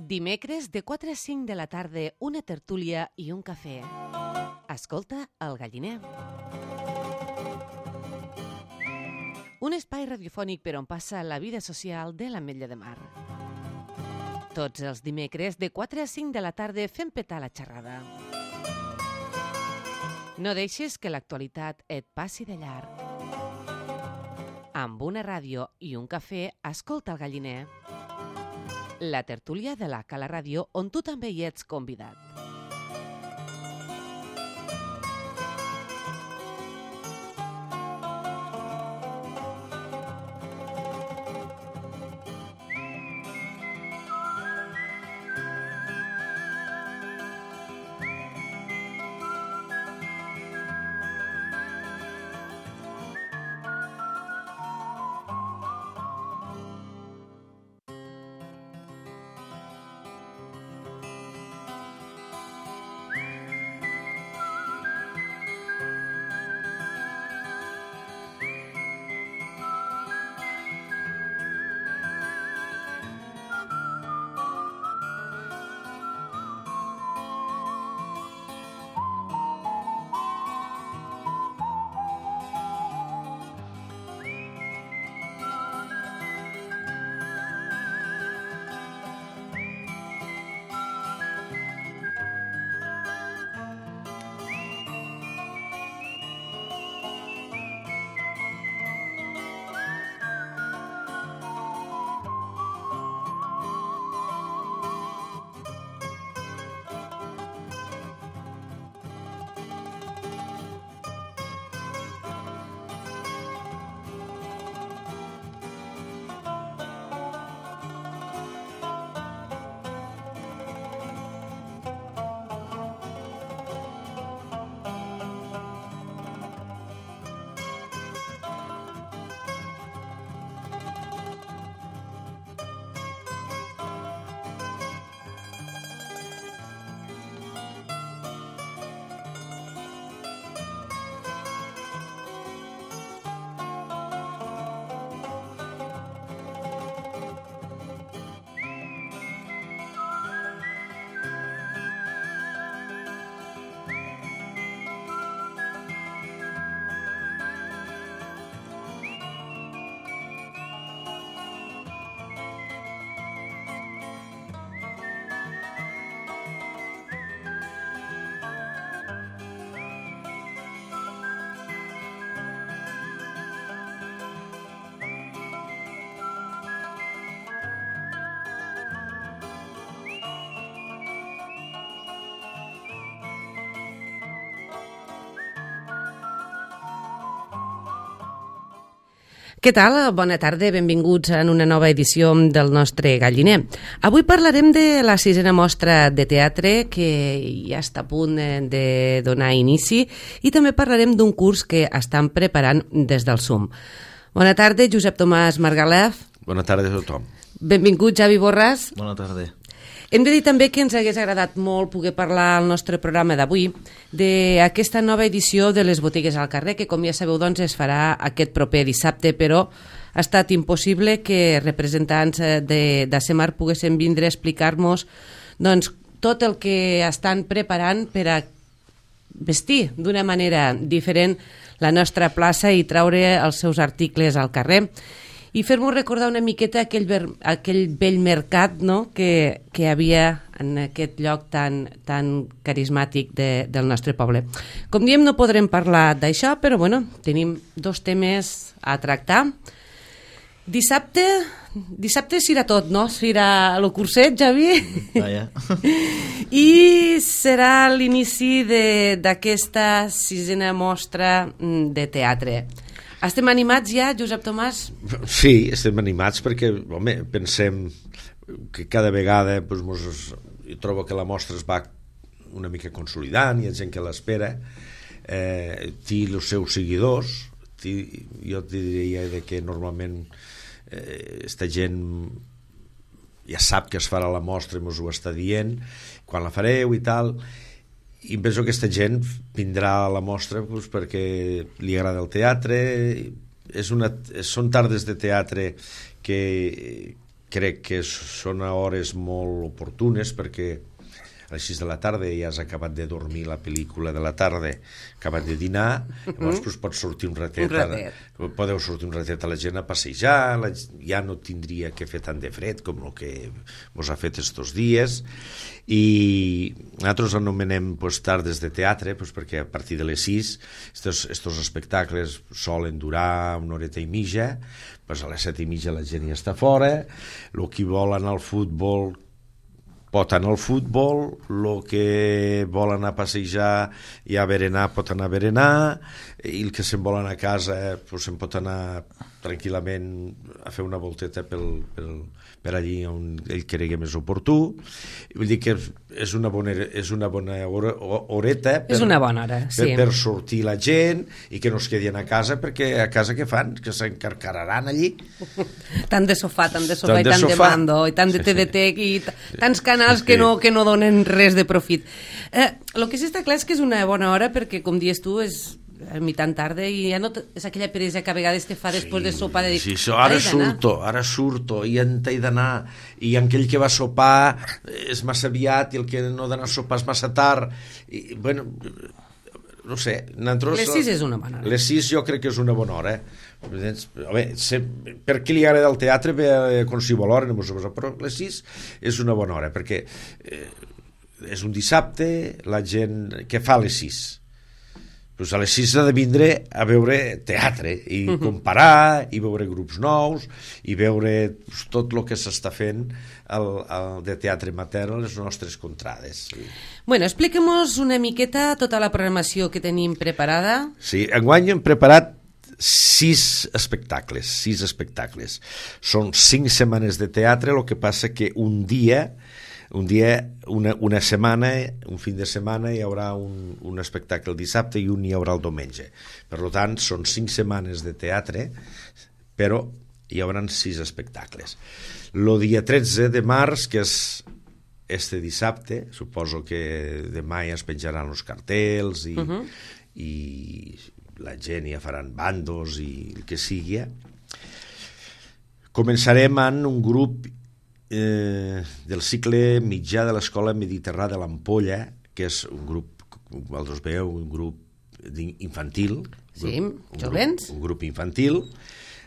Dimecres de 4 a 5 de la tarda, una tertúlia i un cafè. Escolta El Galliner. Un espai radiofònic per on passa la vida social de l'Ametlla de Mar. Tots els dimecres de 4 a 5 de la tarda fem petar la xerrada. No deixes que l'actualitat et passi de llarg. Amb una ràdio i un cafè, escolta El Galliner. La tertúlia de la Cala Ràdio, on tu també hi ets convidat. Què tal? Bona tarda, benvinguts en una nova edició del nostre Galliner. Avui parlarem de la 6a mostra de teatre que ja està a punt de donar inici i també parlarem d'un curs que estan preparant des del SUM. Bona tarda, Josep Tomàs Margalef. Bona tarda a tothom. Benvingut, Javi Borràs. Bona tarda. Hem de dir també que ens hagués agradat molt poder parlar al nostre programa d'avui d'aquesta nova edició de les botigues al carrer, que com ja sabeu doncs es farà aquest proper dissabte, però ha estat impossible que representants de Semar poguessin vindre a explicar-nos doncs, tot el que estan preparant per a vestir d'una manera diferent la nostra plaça i traure els seus articles al carrer. I fer-nos recordar una miqueta aquell vell mercat, no?, que hi havia en aquest lloc tan carismàtic del nostre poble. Com diem, no podrem parlar d'això, però bueno, tenim dos temes a tractar. Dissabte serà tot, no? Serà el curset, Javi? Ja. I serà l'inici d'aquesta 6a mostra de teatre. Estem animats ja, Josep Tomàs? Sí, estem animats perquè, home, pensem que cada vegada doncs, jo trobo que la mostra es va una mica consolidant, hi ha gent que l'espera, té els seus seguidors, jo et diria que normalment esta gent ja sap que es farà la mostra i ens ho està dient, quan la fareu i tal, i penso que aquesta gent vindrà a la mostra doncs, perquè li agrada el teatre. Són tardes de teatre que crec que són a hores molt oportunes, perquè a les 6 de la tarda ja has acabat de dormir la pel·lícula de la tarda, acabat de dinar, llavors doncs, pots sortir un ratet. Podeu sortir un ratet a la gent a passejar, ja no tindria que fer tant de fred com el que vos ha fet estos dies, i nosaltres anomenem tardes de teatre, perquè a partir de les 6 estos espectacles solen durar una horeta i mitja, a les 7:30 la gent ja està fora, el que vol anar al futbol pot anar al futbol, el que vol anar a passejar i a berenar pot anar a berenar, i el que se'n vol anar a casa se'n pot anar tranquil·lament a fer una volteta per allí on ell cregui més oportú. Vull dir que és una bona horeta per sortir la gent i que no es quedin a casa, perquè a casa què fan? Que s'encarcararan allí. Tant de sofà i tant de mando i tant de TDT i tants canals que no donen res de profit. El que sí està clar és que és una bona hora, perquè com dius tu és a mitjan tarda i ja no és aquella peresa que a vegades te fa després de sopar de dir, sí, ara surto i en t'he d'anar, i aquell que va sopar és massa aviat i el que no ha d'anar a sopar és massa tard, i bueno, no sé, les 6 és una bona hora. Les 6 jo crec que és una bona hora. Per qui li agrada el teatre ve qualsevol hora, però les 6 és una bona hora, perquè és un dissabte, la gent que fa a les 6, a les 6 ha de vindre a veure teatre i comparar, i veure grups nous, i veure tot el que s'està fent de teatre amateur a les nostres contrades. Bueno, expliquem-nos una miqueta tota la programació que tenim preparada. Sí, enguany hem preparat 6 espectacles. Són 5 setmanes de teatre, el que passa que una setmana, un fin de setmana hi haurà un espectacle el dissabte i un hi haurà el diumenge. Per tant, són 5 setmanes de teatre, però hi haurà 6 espectacles. El dia 13 de març, que és este dissabte, suposo que demà ja es penjaran els cartells i la gent ja faran bandos i el que sigui. Començarem amb un grup del cicle mitjà de l'Escola Mediterrà de l'Ampolla, que és un grup, vosaltres veieu, un grup infantil, jovens, un grup infantil,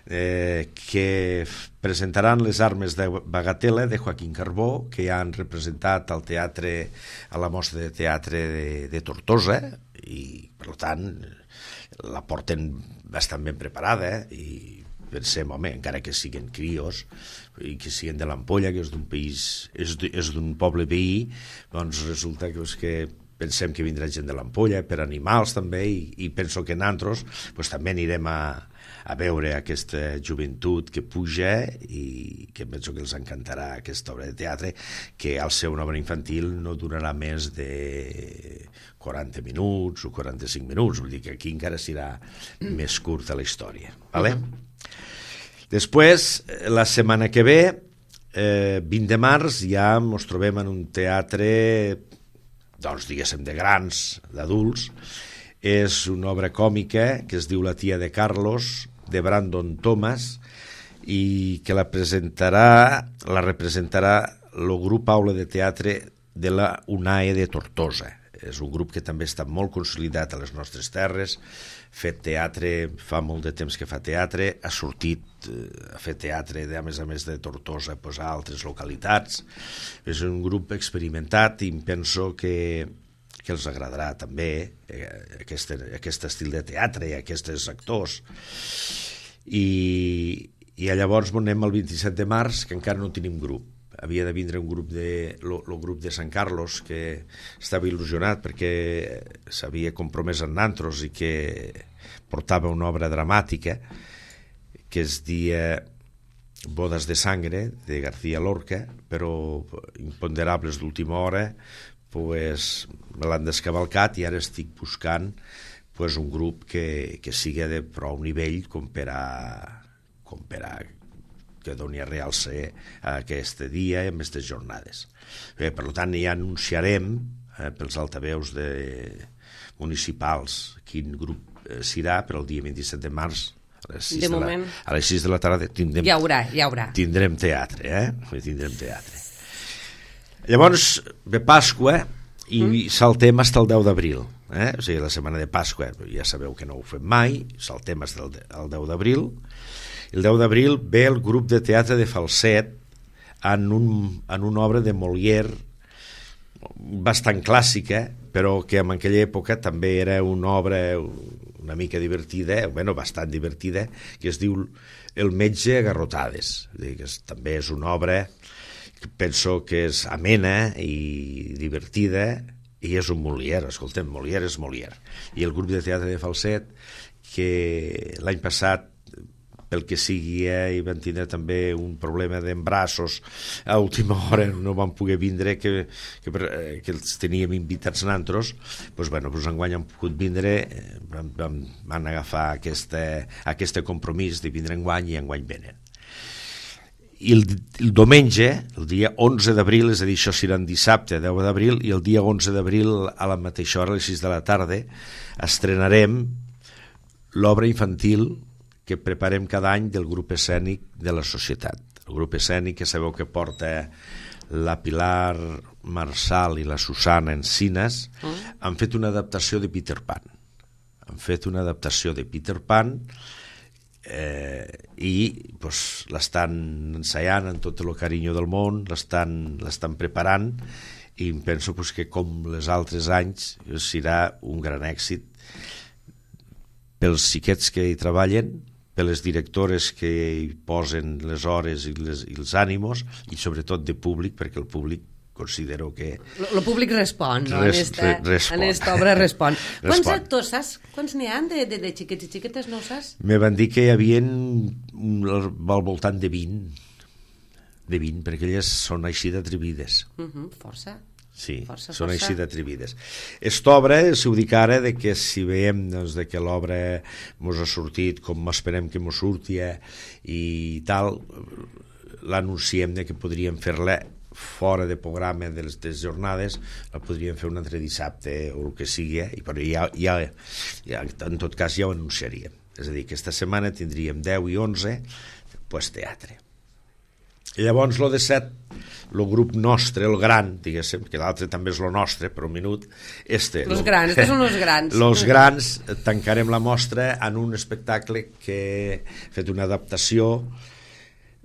que presentaran les armes de Bagatela de Joaquín Carbó, que ja han representat al teatre, a la mostra de teatre de Tortosa, i per tant la porten bastant ben preparada, i pensem, home, encara que siguin crios i que siguin de l'Ampolla, que és d'un país, és d'un poble veí, doncs resulta que pensem que vindrà gent de l'Ampolla per animals també, i penso que nosaltres també anirem a veure aquesta joventut que puja, i que penso que els encantarà aquesta obra de teatre, que al ser una obra infantil no durarà més de 40 minuts o 45 minuts, vull dir que aquí encara serà més curta la història, vale? Després, la setmana que ve, 20 de març, ja ens trobem en un teatre, doncs diguéssim, de grans, d'adults. És una obra còmica que es diu La tia de Carlos, de Brandon Thomas, i que la representarà el grup Aula de Teatre de la UNAE de Tortosa. És un grup que també està molt consolidat a les nostres terres, fet teatre, fa molt de temps que fa teatre, ha sortit a fer teatre, a més de Tortosa, a altres localitats. És un grup experimentat i penso que els agradarà també aquest estil de teatre i aquests actors. I llavors anem el 27 de març, que encara no tenim grup. Havia de vindre el grup de Sant Carlos, que estava il·lusionat perquè s'havia compromès amb nosaltres i que portava una obra dramàtica que es dia Bodas de Sangre, de García Lorca, però imponderables d'última hora me l'han descavalcat, i ara estic buscant un grup que sigui de prou nivell com per a que doni a realce a aquest dia i a aquestes jornades. Per tant, ja anunciarem pels altaveus municipals quin grup serà per al dia 27 de març De moment. A les 6 de la tarda tindrem... Hi haurà. Tindrem teatre, Tindrem teatre. Llavors, ve Pasqua i saltem fins al 10 d'abril. O sigui, la setmana de Pasqua, ja sabeu que no ho fem mai, saltem fins al 10 d'abril. El 10 d'abril ve el grup de teatre de Falset en una obra de Molière bastant clàssica, però que en aquella època també era una obra una mica divertida, bastant divertida, que es diu El metge a garrotades. També és una obra que penso que és amena i divertida, i és un Molière, escoltem, Molière és Molière. I el grup de teatre de Falset, que l'any passat, pel que sigui, i van tindre també un problema d'embrassos a última hora, no van poder vindre, que els teníem invitats nantros, doncs enguany han pogut vindre, van agafar aquest compromís de vindre enguany, i enguany venen. I el diumenge, el dia 11 d'abril, és a dir, això serà en dissabte, 10 d'abril, i el dia 11 d'abril, a la mateixa hora, a les 6 de la tarda, estrenarem l'obra infantil que preparem cada any del grup escènic de la societat. El grup escènic, que sabeu que porta la Pilar Marsal i la Susana Encinas, han fet una adaptació de Peter Pan. I l'estan ensaiant amb tot el carinyo del món, l'estan preparant, i em penso que com els altres anys serà un gran èxit pels xiquets que hi treballen, per les directores que hi posen les hores i els ànimos, i sobretot de públic, perquè el públic considero que... El públic respon, no? En esta obra respon. Quants actors saps? Quants n'hi ha de xiquets i xiquetes, no ho saps? Me van dir que hi havia al voltant de 20, perquè elles són així d'atrevides. Força. Sí, són així d'atrevides. Esta obra, si ho dic ara, que si veiem que l'obra ens ha sortit com esperem que ens surti i tal, l'anunciem que podríem fer-la fora de programa de les jornades, la podríem fer un altre dissabte o el que sigui, però en tot cas ja ho anunciaríem. És a dir, que aquesta setmana tindríem 10 i 11 teatre. I llavors el 17, el grup nostre, el gran, diguéssim, que l'altre també és el nostre, per un minut, Los grans, estos són los grans. Los grans, tancarem la mostra en un espectacle que he fet una adaptació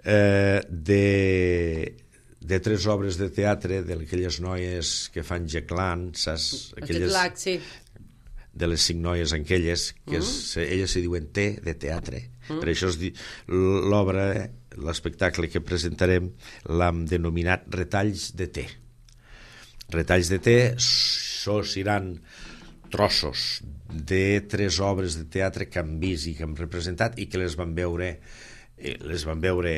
de 3 obres de teatre d'aquelles noies que fan Jeclan, saps? Jeclac, sí. De les 5 noies aquelles, que elles se diuen T, de teatre. Per això l'obra, l'espectacle que presentarem, l'hem denominat Retalls de T. Retalls de T seran trossos de 3 obres de teatre que hem vist i que hem representat i que les van veure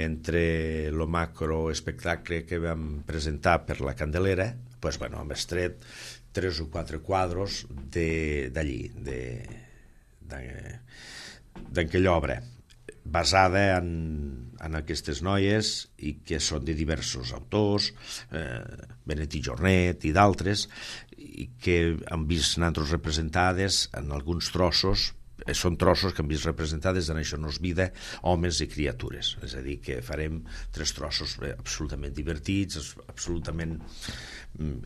entre el macroespectacle que vam presentar per la Candelera. Hem estret 3 o 4 quadros d'allí, d'aquella obra, basada en aquestes noies i que són de diversos autors, Benet i Jornet i d'altres, i que han vist nosaltres representades en alguns trossos. Són trossos que hem vist representades en Això no és vida, homes i criatures. És a dir, que farem 3 trossos absolutament divertits, absolutament...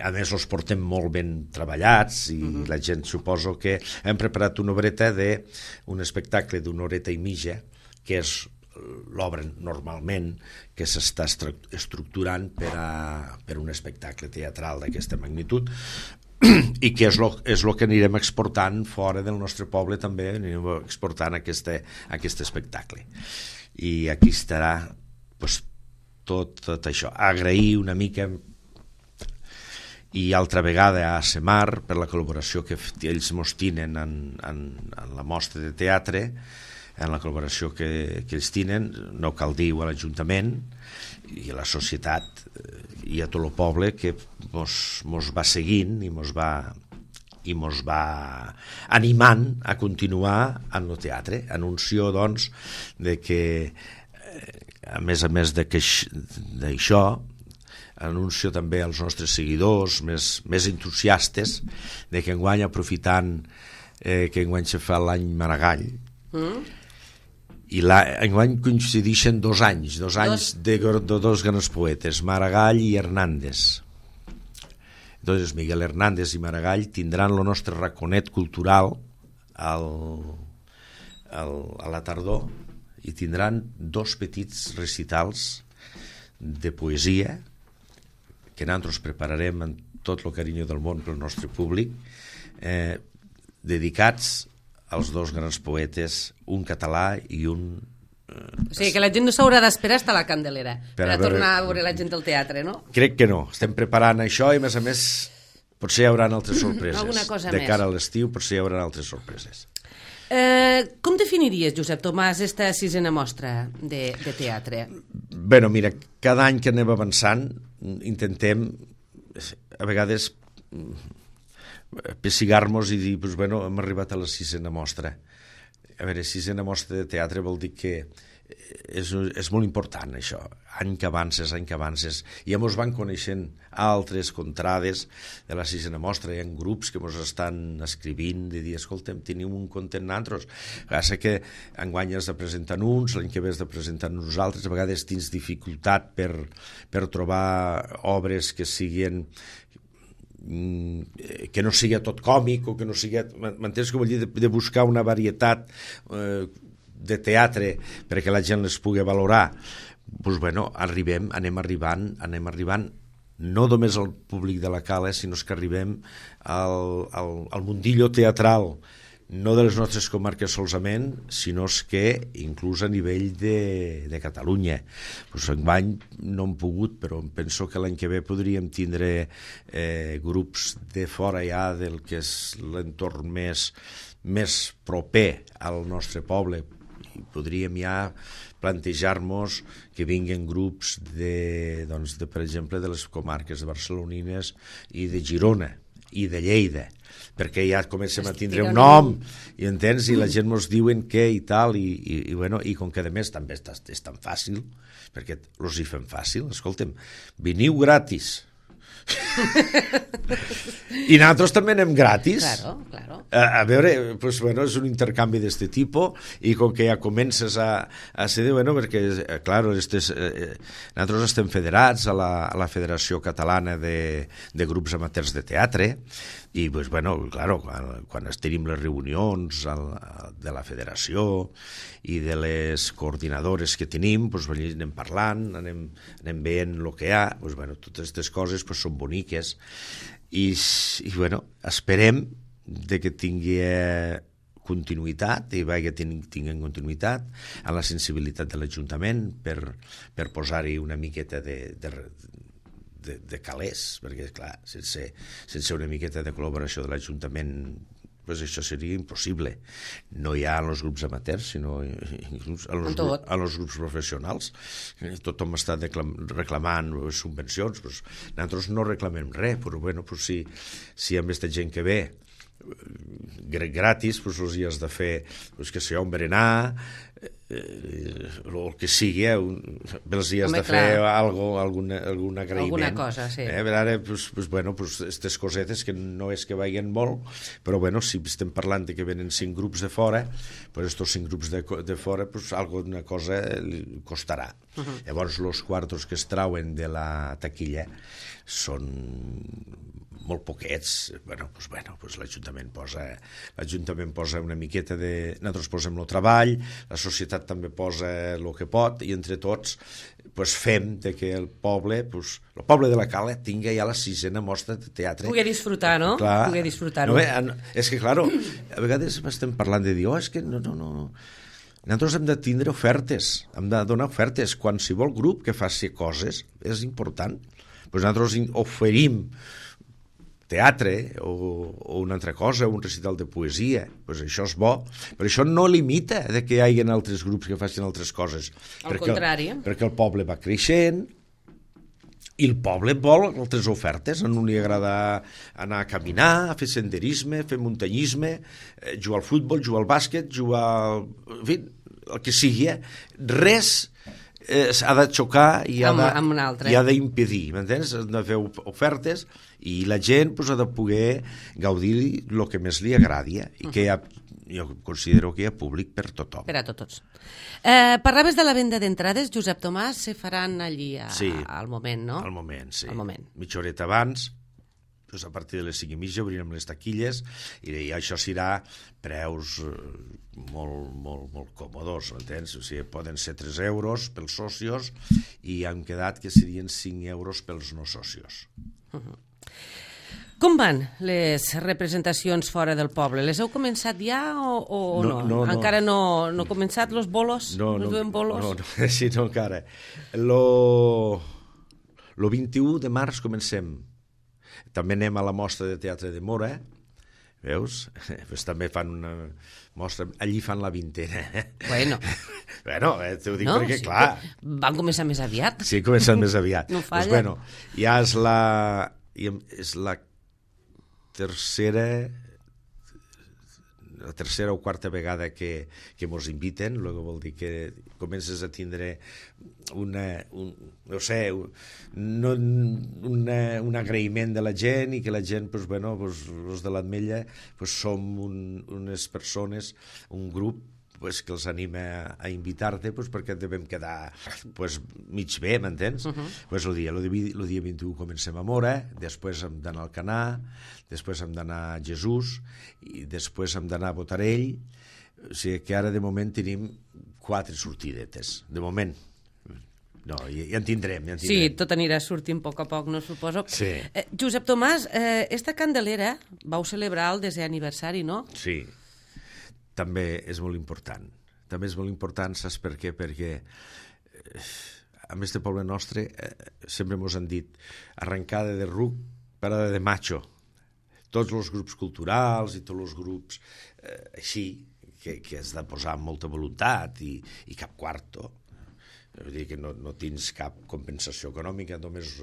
A més, els portem molt ben treballats i la gent, suposo que hem preparat una obreta d'un espectacle d'una horeta i mitja, que és l'obra normalment que s'està estructurant per un espectacle teatral d'aquesta magnitud, i que és el que anirem exportant fora del nostre poble, també anirem exportant aquest espectacle. I aquí estarà tot això. Agrair una mica i altra vegada a ASEMAR per la col·laboració que ells ens tenen en la mostra de teatre, en la col·laboració que ells tenen, no cal dir-ho a l'Ajuntament i a la societat i a tot el poble que mos va seguint i mos va animant a continuar en el teatre. Anuncio, doncs, de que a més d'això, anuncio també als nostres seguidors més entusiastes de que enguany, aprofitant que enguany se fa l'any Maragall, I enguany coincideixen 2 anys, 2 anys de dos grans poetes, Maragall i Hernández. Entonces Miguel Hernández i Maragall tindran el nostre raconet cultural a la tardor i tindran 2 petits recitals de poesia que nosaltres prepararem amb tot el carinyo del món pel nostre públic, dedicats als 2 grans poetes, un català i un... O sigui, que la gent no s'haurà d'esperar estar a la Candelera per a tornar a veure la gent del teatre, no? Crec que no. Estem preparant això i, a més, potser hi haurà altres sorpreses. Alguna cosa de més. Cara a l'estiu potser hi haurà altres sorpreses. Com definiries, Josep Tomàs, esta 6a mostra de teatre? Bé, mira, cada any que anem avançant intentem, a vegades, pessigar-nos i dir, doncs, bueno, hem arribat a la 6a mostra. A veure, 6a mostra de teatre vol dir que és molt important, això. Any que avances, i ja mos van coneixent altres contrades de la 6a mostra. Hi ha grups que mos estan escrivint de dir, escolta'm, tenim un conte en nosaltres. Passa que enguany has de presentar uns, l'any que ve has de presentar nosaltres. A vegades tens dificultat per trobar obres que siguin que no sigui tot còmic o que no sigui... M'entens que vull dir? De buscar una varietat de teatre perquè la gent les pugui valorar. Doncs bueno, anem arribant no només al públic de la Cala, sinó que arribem al mundillo teatral, no de les nostres comarques solament, sinó que inclús a nivell de Catalunya. Pues enguany no hem pogut, però penso que l'any que ve podríem tindre grups de fora ja del que és l'entorn més proper al nostre poble. I podríem ja plantejar-nos que vinguin grups per exemple, de les comarques de barcelonines i de Girona i de Lleida, perquè ja comencem a tindre un nom, i entens? I la gent mos diuen què i tal, i com que a més també és tan fàcil, perquè els hi fem fàcil, escolta'm, veniu gratis. I nosaltres també anem gratis. Claro. A veure, pues, és un intercanvi d'aquest tipus, i com que ja comences a ser, perquè, clar, nosaltres estem federats a la Federació Catalana de Grups Amateurs de Teatre, i, pues, claro, quan tenim les reunions de la federació i de les coordinadores que tenim, pues, anem parlant, anem veient el que hi ha, pues, totes aquestes coses pues, són boniques, i esperem de que tingui continuïtat i que tinguin continuïtat en la sensibilitat de l'Ajuntament per posar-hi una miqueta de calés, perquè clar, sense una miqueta de col·laboració de l'Ajuntament pues això seria impossible, no ja en els grups amateurs, sinó inclús en els grups professionals. Tothom està reclamant subvencions, pues, nosaltres no reclamem res, però si hi ha aquesta gent que ve gratis, doncs els hi has de fer que si hi ha un berenar, el que sigui, els hi has de fer algun agraïment. Alguna cosa, sí. Ara, aquestes cosetes que no és que vagin molt, però si estem parlant que venen 5 grups de fora, aquests 5 grups de fora alguna cosa costarà. Llavors, els quartos que es trauen de la taquilla són molt poquets. L'Ajuntament posa una miqueta de... Nosaltres posem el treball, la societat també posa el que pot, i entre tots fem que el poble de la Cala tingui ja la 6a mostra de teatre. Pugui disfrutar, no? Pugui disfrutar-ho. És que, clar, a vegades estem parlant de dir, és que no... Nosaltres hem de tindre ofertes, hem de donar ofertes. Qualsevol grup que faci coses és important. Nosaltres oferim teatre o una altra cosa, un recital de poesia, això és bo, però això no limita que hi hagi altres grups que facin altres coses. Al contrari. Perquè el poble va creixent i el poble vol altres ofertes. A un li agrada anar a caminar, a fer senderisme, fer muntanyisme, jugar al futbol, jugar al bàsquet, en fi, el que sigui. Res ha de xocar i ha d'impedir, m'entens? Han de fer ofertes i la gent ha de poder gaudir el que més li agradi, i que jo considero que hi ha públic per tothom. Per a tots. Parlaves de la venda d'entrades, Josep Tomàs, se faran allí al moment, no? Al moment, sí. Al moment. Mitja horeta abans, doncs a partir de les 5:30 obrirem les taquilles i això serà preus molt còmodos, entens? O sigui, poden ser 3 euros pels socios i hem quedat que serien 5 euros pels no socios. Com van les representacions fora del poble? Les heu començat ja o no? Encara no ha començat los bolos? No, bolos? no, sí, no encara. Lo 21 de març comencem. També anem a la mostra de teatre de Mora, veus? Pues també fan una mostra, allí fan la 20ena. Bueno, t'ho dic perquè, clar... Van començar més aviat. Sí, comencen més aviat. No falla. Pues bueno, ja és la tercera o quarta vegada que mos inviten, luego vol dir que comences a tindre un agraïment de la gent i que la gent, pues, bueno, els de l'Ametlla som unes persones, un grup pues, que els anima a invitar-te pues, perquè devem quedar pues, mig bé, m'entens? Pues, el dia 21 comencem a Mora, després hem d'anar al Canà, després hem d'anar a Jesús i després hem d'anar a Botarell. O sigui que ara de moment tenim 4 sortidetes, de moment. No, ja en tindrem. Sí, tot anirà sortint a poc, no suposo. Sí. Josep Tomàs, esta Candelera vau celebrar el 10è aniversari, no? Sí. També és molt important. També és molt important, saps per què? Perquè a este poble nostre sempre ens han dit arrencada de ruc, parada de macho. Tots els grups culturals i tots els grups així, que has de posar amb molta voluntat i cap quarto. Vull dir que no tens cap compensació econòmica, només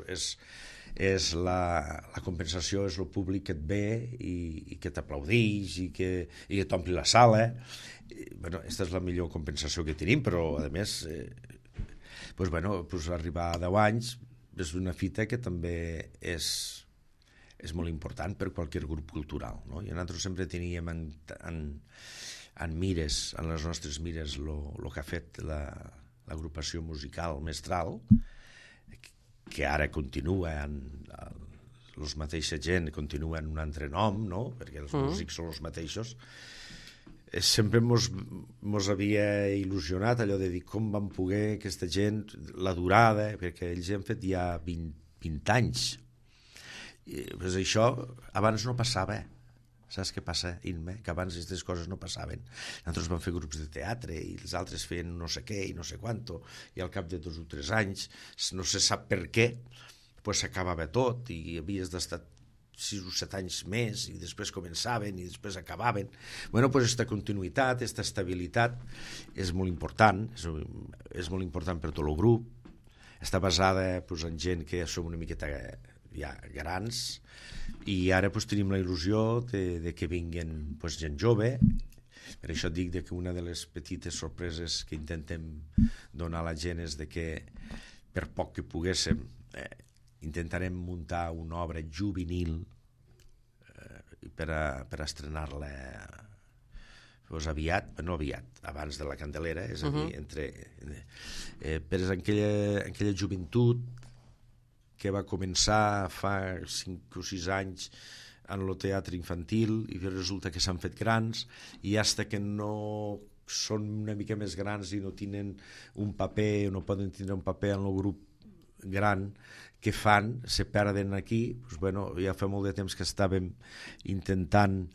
és la compensació és el públic que et ve i que t'aplaudeix i que t'ompli la sala. Bueno, aquesta és la millor compensació que tenim, però a més arribar a 10 anys és una fita que també és molt important per qualsevol grup cultural, no? I nosaltres sempre teníem en mires, en les nostres mires, el que ha fet l'agrupació musical Mestral, que ara continua la mateixa gent continua en un altre nom, no? Perquè els músics són els mateixos. Sempre mos havia il·lusionat allò de dir com van poder aquesta gent, la durada, perquè ells han fet ja 20 anys. I, pues això abans no passava. Saps què passa, Inme? Que abans aquestes coses no passaven. Nosaltres vam fer grups de teatre i els altres feien no sé què i no sé quanto, i al cap de 2 o 3 anys, no se sap per què, pues s'acabava tot i havies d'estar 6 o 7 anys més i després començaven i després acabaven. Bueno, pues aquesta continuïtat, aquesta estabilitat és molt important, és molt important per tot el grup. Està basada pues, en gent que som una miqueta ja grans i ara pues, tenim la il·lusió de que vinguen pues, gent jove. Per això dic que una de les petites sorpreses que intentem donar a la gent és de que per poc que poguéssim intentarem muntar una obra juvenil per a estrenar-la pues, aviat, no aviat, abans de la Candelera, és a dir, però és aquella joventut que va començar fa 5 o 6 anys en el teatre infantil i resulta que s'han fet grans i fins que no són una mica més grans i no tenen un paper o no poden tindre un paper en el grup gran que fan, se perden aquí. Pues, bueno, ja fa molt de temps que estàvem intentant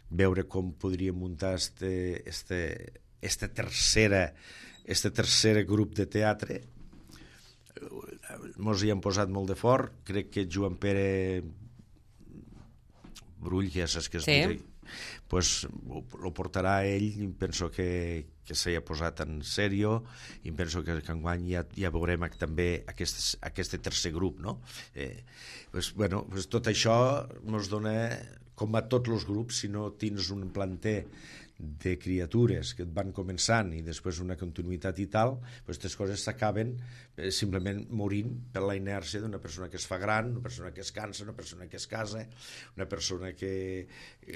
veure com podríem muntar este tercer grup de teatre. Mos hi hem posat molt de fort. Crec que Joan Pere Brull, que ja saps que és pues, lo portarà ell i penso que s'hi ha posat en sèrio i penso que enguany ja veurem també aquest tercer grup, no? Pues, tot això ens dona, com a tots els grups, si no tens un planter de criatures que et van començant i després una continuïtat i tal, aquestes coses s'acaben simplement morint per la inèrcia d'una persona que es fa gran, una persona que es cansa, una persona que es casa, una persona que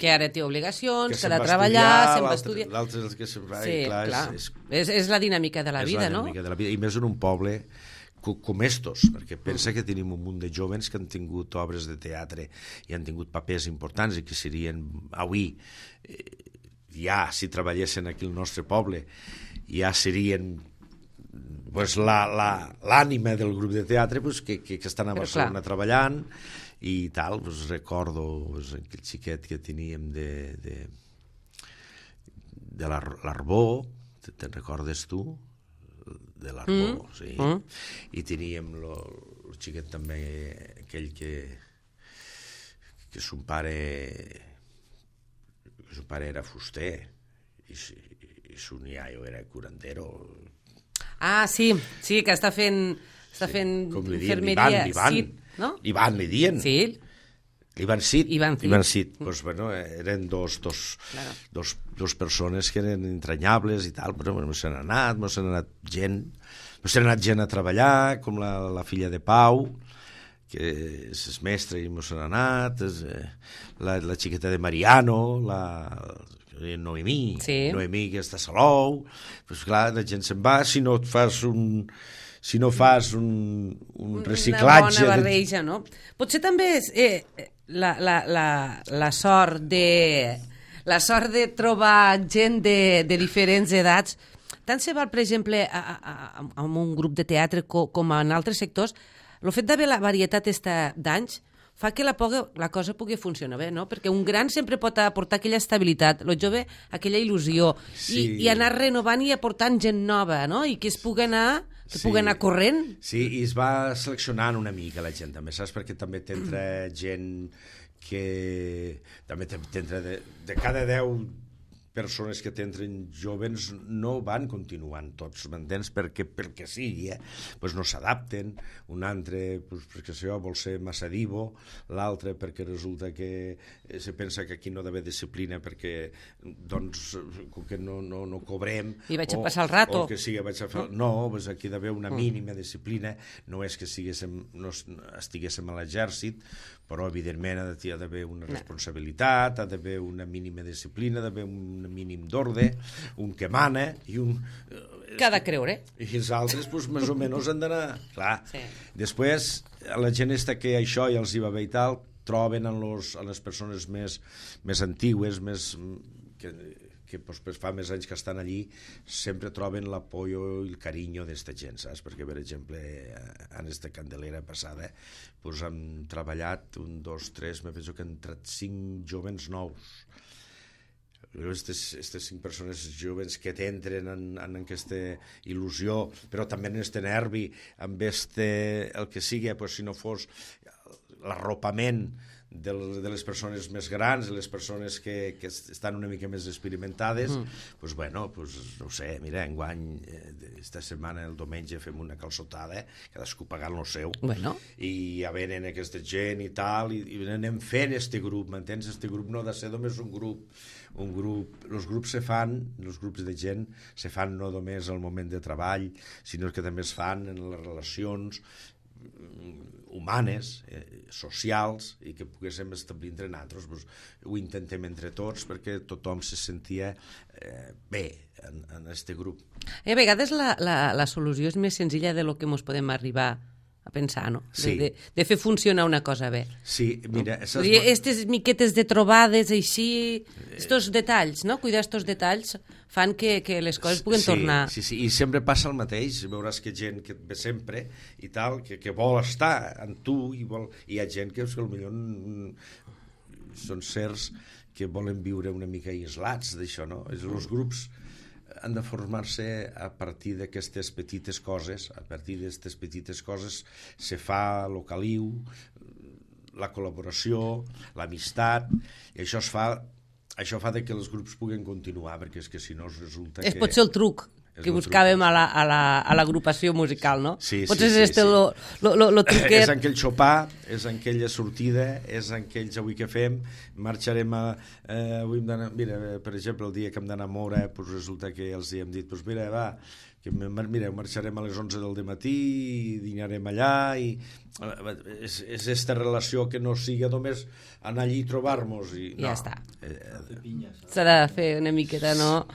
ara té obligacions, que ha de treballar, se'n va estudiar... L'altre és el que se'n va... Sí, clar. És la dinàmica de la vida, no? És la dinàmica de la vida, i més en un poble com estos, perquè pensa que tenim un munt de jóvens que han tingut obres de teatre i han tingut papers importants i que serien avui, ja si treballessin aquí al nostre poble, ja serien pues, l'ànima del grup de teatre pues, que estan a Barcelona treballant i tal. Pues, recordo pues, aquell xiquet que teníem de l'Arbó, te'n recordes tu? De l'Arbó, sí. I teníem el xiquet també, aquell que son pare era fuster i son iaio era curandero. Ah, sí, que està fent infermeria. Ivan li dien. Sí. Ivan Cid. Pues, bueno, eren dos persones que eren entranyables i tal, però mos s'han anat gent a treballar, com la filla de Pau, que és mestra i mos s'han anat, la xiqueta de Mariano, la Noemí, que està a Salou, pues clar, la gent se'n va, si no fas un reciclatge... Una bona barreja, no? Potser també és la sort de trobar gent de diferents edats. Tant se val, per exemple, en un grup de teatre com en altres sectors, el fet d'haver la varietat d'anys fa que la cosa pugui funcionar bé, no? Perquè un gran sempre pot aportar aquella estabilitat, el jove aquella il·lusió, i anar renovant i aportant gent nova, no? I que es pugui anar corrent. Sí, i es va seleccionant una mica la gent, també, saps? Perquè també t'entra gent que... També t'entra de cada 10 persones que t'entren jovens no van continuant tots, m'entens? Perquè sigui, pues no s'adapten, un altre pues, perquè això vol ser massa divo, l'altre perquè resulta que se pensa que aquí no ha d'haver disciplina perquè doncs com que no cobrem i vaig a passar el rato o que sigui, no, pues aquí ha d'haver una mínima disciplina, no és que estiguéssim a l'exèrcit, però evidentment ha d'haver una responsabilitat, ha d'haver una mínima disciplina, ha d'haver un mínim d'ordre, un que mana i un... Que ha de creure. I els altres, pues, més o menys han d'anar... Clar. Sí. Després, la gent que això ja els hi va bé i tal, troben en les persones més antigues, que pues, fa més anys que estan allí, sempre troben l'apoyo i el carinyo d'esta gent, saps? Perquè, per exemple, en esta Candelera passada, pues, hem treballat 1, 2, 3, me penso que han entrat 5 jóvens nous. Aquestes 5 persones joves que t'entren en aquesta il·lusió, però també en este nervi, amb el que sigui, pues, si no fos l'arropament de les persones més grans, de les persones que estan una mica més experimentades, pues, bueno, pues, no ho sé, mira, enguany, esta setmana, el diumenge, fem una calçotada, cadascú pagant el seu, i ja venen aquesta gent i tal, i anem fent este grup, m'entens? Este grup no ha de ser només un grup, els grups els grups de gent se fan no només al moment de treball, sinó que també es fan en les relacions humanes, socials, i que poguéssim establir entre nosaltres, doncs, ho intentem entre tots perquè tothom se sentia bé en este grup. A vegades la solució és més senzilla de lo que ens podem arribar a pensar, no? Sí. De fer funcionar una cosa bé. Sí, mira... Aquestes miquetes de trobades així, estos detalls, no? Cuidar estos detalls fan que les coses puguen tornar... Sí, i sempre passa el mateix. Veuràs que gent que et ve sempre i tal, que vol estar amb tu i hi ha gent que potser són certs que volen viure una mica aislats d'això, no? Els grups han de formar-se a partir d'aquestes petites coses, se fa el caliu, la col·laboració, l'amistat, i això fa que els grups puguen continuar, perquè és que si no resulta que... És potser el truc, que buscàvem a l'agrupació musical, no? Sí, potser sí, és lo truquet. És aquell sopar, és aquella sortida, és aquells avui que fem, marxarem avui hem d'anar, mira, per exemple, el dia que hem d'anar a Mora, pues resulta que els hem dit, pues mira, va, mireu, marxarem a les 11 del matí i dinarem allà i és esta relació que no siga només anar allí i trobar-nos i ja està, s'ha de fer una miqueta, no?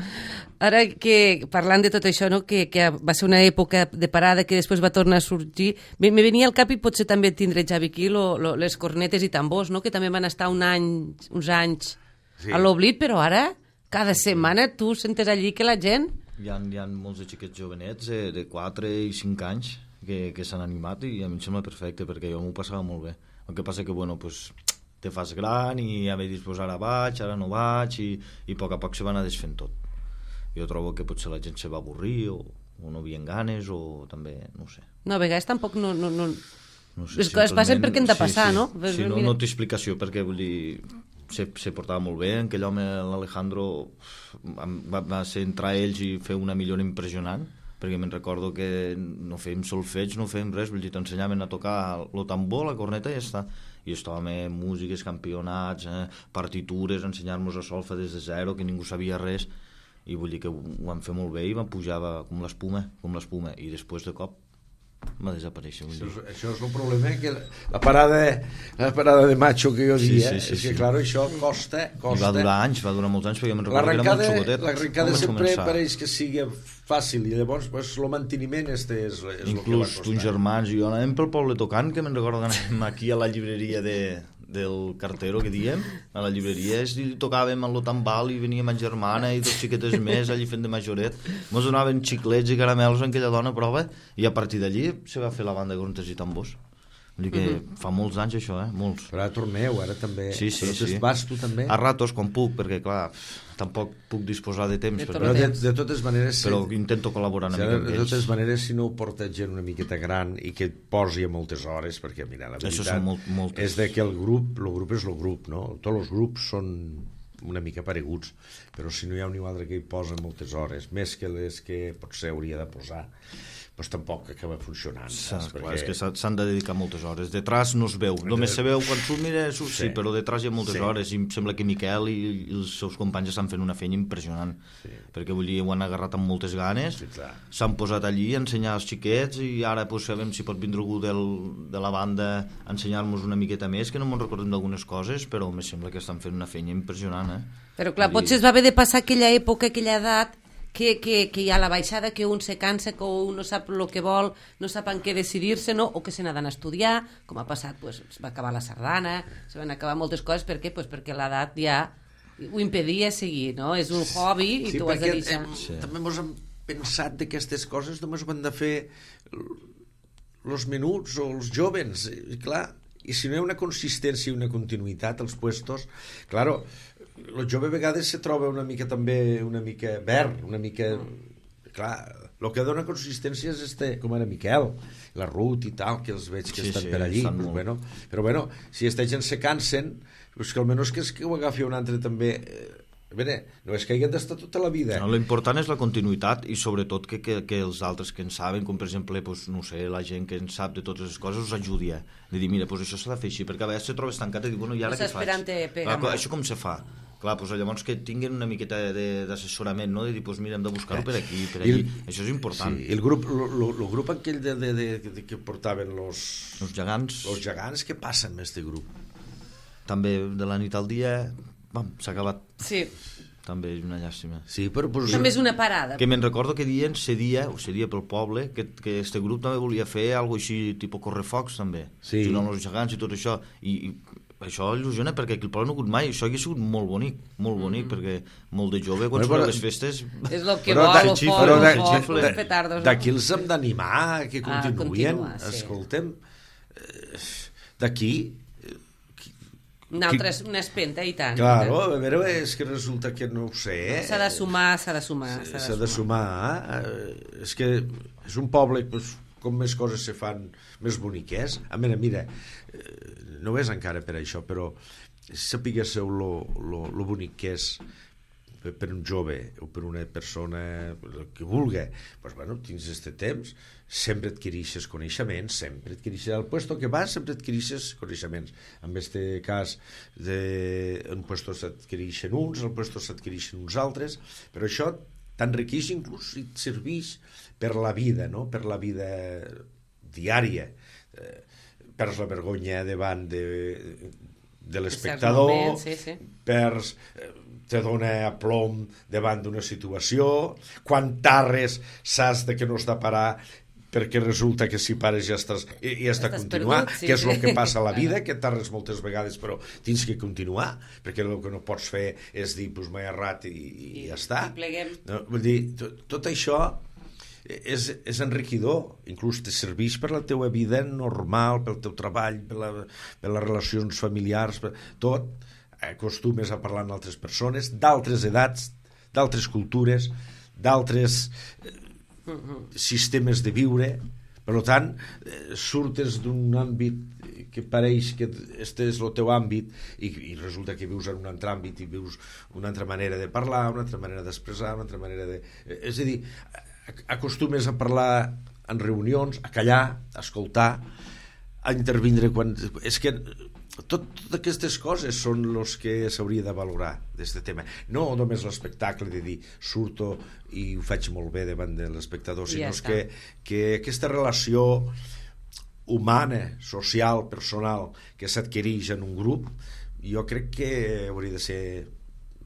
Ara que parlant de tot això, no? que va ser una època de parada que després va tornar a sorgir, me venia al cap i potser també tindre, Javi, aquí les cornetes i tambors, no? Que també van estar uns anys a l'oblit, però ara cada setmana tu sentes allí que la gent... Hi ha molts de xiquets jovenets de 4 i 5 anys que s'han animat i a mi em sembla perfecte perquè jo m'ho passava molt bé. El que passa que, bueno, pues, te fas gran i ja me dius, pues, ara vaig, ara no vaig i a poc se va anar desfent tot. Jo trobo que potser la gent se va avorrir o no havien ganes o també, no ho sé. No, a vegades tampoc no sé, les coses passen perquè han de passar, sí. no? Sí, no té explicació perquè, vull dir, se portava molt bé, aquell home, l'Alejandro, va ser entrar ells i fer una millora impressionant, perquè me'n recordo que no fèiem solfeig, no fèiem res, vull dir, t'ensenyaven a tocar el tambor, la corneta i ja està. I estàvem músiques, campionats, partitures, ensenyar-nos a solfa des de zero, que ningú sabia res, i vull dir que ho van fer molt bé i van pujar com l'espuma, i després de cop va desaparèixer. Això és el problema, que la parada de macho que jo dia, és que clar, això costa. I va durar anys, va durar molts anys, perquè me'n recordo que era molt xocotet. L'arrencada sempre pareix que sigui fàcil, i llavors el manteniment és el que va costar. Inclús uns germans i jo anàvem pel poble tocant, que me'n recordo que anàvem aquí a la llibreria del cartero, que diem, a la llibreria, i tocàvem en lo tambal i venia ma germana i dos xiquetes més allí fent de majoret, mos donaven xiclets i caramels en aquella dona prova i a partir d'allí se va fer la banda de cornetes i tambors. Vull dir que fa molts anys això, molts. Però ara torneu, ara també. Sí. Vas tu també? A ratos quan puc, perquè clar, tampoc puc disposar de temps. Però de totes maneres... Però intento col·laborar una mica amb ells. De totes maneres, si no ho porta gent una miqueta gran i que et posi a moltes hores, perquè mira, la veritat és que el grup és el grup, no? Tots els grups són una mica pareguts, però si no hi ha un altre que hi posa moltes hores, més que les que potser hauria de posar, doncs tampoc acaba funcionant. Clar, és que s'han de dedicar moltes hores. Detrás no es veu, només se veu quan surt, mira, sí, però detrás hi ha moltes hores i em sembla que Miquel i els seus companys estan fent una feina impressionant, perquè vull dir, ho han agarrat amb moltes ganes, s'han posat allí a ensenyar als xiquets i ara pues, sabem si pot vindre algú de la banda a ensenyar-nos una miqueta més, que no me'n recordem d'algunes coses, però em sembla que estan fent una feina impressionant. Però clar, potser es va haver de passar aquella època, aquella edat, que hi ha la baixada, que un se cansa, que un no sap el que vol, no sap en què decidir-se, no? O que se n'ha d'anar a estudiar, com ha passat, pues, es va acabar la sardana, se van acabar moltes coses, per què? Pues perquè l'edat ja ho impedia seguir, no? És un hobby i tu ho has de deixar. També ens hem pensat d'aquestes coses, només ho han de fer els menuts o els joves, i clar, i si no hi ha una consistència i una continuïtat als puestos, claro, el jove a vegades se troba una mica també una mica verd, una mica... Clar, el que dona consistència és com era Miquel, la Ruth i tal, que els veig que estan per allí. Pues bueno, però bueno, si aquesta gent se cansen, pues que almenys que ho agafi un altre també... no és que hagin d'estar tota la vida. No, l'important és la continuïtat i sobretot que els altres que en saben, com per exemple, pues, no sé, la gent que en sap de totes les coses, us ajudi a dir, mira, pues això s'ha de fer així, perquè a vegades se troba estancat i diu, bueno, i ara què faig? Això com se fa? Clar, doncs llavors que tinguin una miqueta d'assessorament, no? De dir, doncs mira, hem de buscar-ho per aquí, per allí. Això és important. Sí, el grup aquell que portaven els gegants. Els gegants, què passa amb aquest grup? També de la nit al dia, s'ha acabat. Sí. També és una llàstima. Sí, però... També és una parada. Que me'n recordo que cedia pel poble, que este grup també volia fer alguna cosa així, tipus correfocs, també. Sí. Jugant els gegants i tot això. I això il·lusiona perquè aquí el poble no ha hagut mai. Això hauria sigut molt bonic, perquè molt de jove, quan surt a les festes... És el que vol, el foc, els petardos. D'aquí els hem d'animar, que continuïn. Escoltem, d'aquí... Una espenta, i tant. Claro, a veure, és que resulta que no ho sé. S'ha de sumar. S'ha de sumar. És que és un poble, com més coses se fan, més boniques. A veure, mira, no és encara per això, però sapiguéssiu lo bonic que és. per un jove o per una persona que vulgui, doncs, bueno, tens aquest temps, sempre adquireixes coneixements, sempre adquireixes, al puesto que vas sempre adquireixes coneixements. En aquest cas, en puestos s'adquireixen uns, al puesto s'adquireixen uns altres, però això t'enriqueix, inclús i et serveix per la vida, no? Per la vida diària. Perds la vergonya davant de l'espectador, te dona aplom davant d'una situació, quan tarres saps que no has de parar perquè resulta que si pares ja has de continuar, perdut, que és el que passa a la vida, que tardes moltes vegades però tens que continuar, perquè el que no pots fer és dir, doncs m'he errat i ja està. No, vull dir, tot això és enriquidor, inclús te serveix per la teua vida normal, pel teu treball, per les relacions familiars, per tot. Acostumes a parlar amb altres persones d'altres edats, d'altres cultures, d'altres sistemes de viure. Per tant, surtes d'un àmbit que pareix que este és el teu àmbit i resulta que vius en un altre àmbit i vius una altra manera de parlar, una altra manera d'expressar, una altra manera de... És a dir, acostumes a parlar en reunions, a callar, a escoltar, a intervindre quan... És que totes aquestes coses són les que s'hauria de valorar d'aquest tema. No només l'espectacle de dir surto i ho faig molt bé davant de l'espectador, sinó que aquesta relació humana, social, personal que s'adquireix en un grup, jo crec que hauria de ser...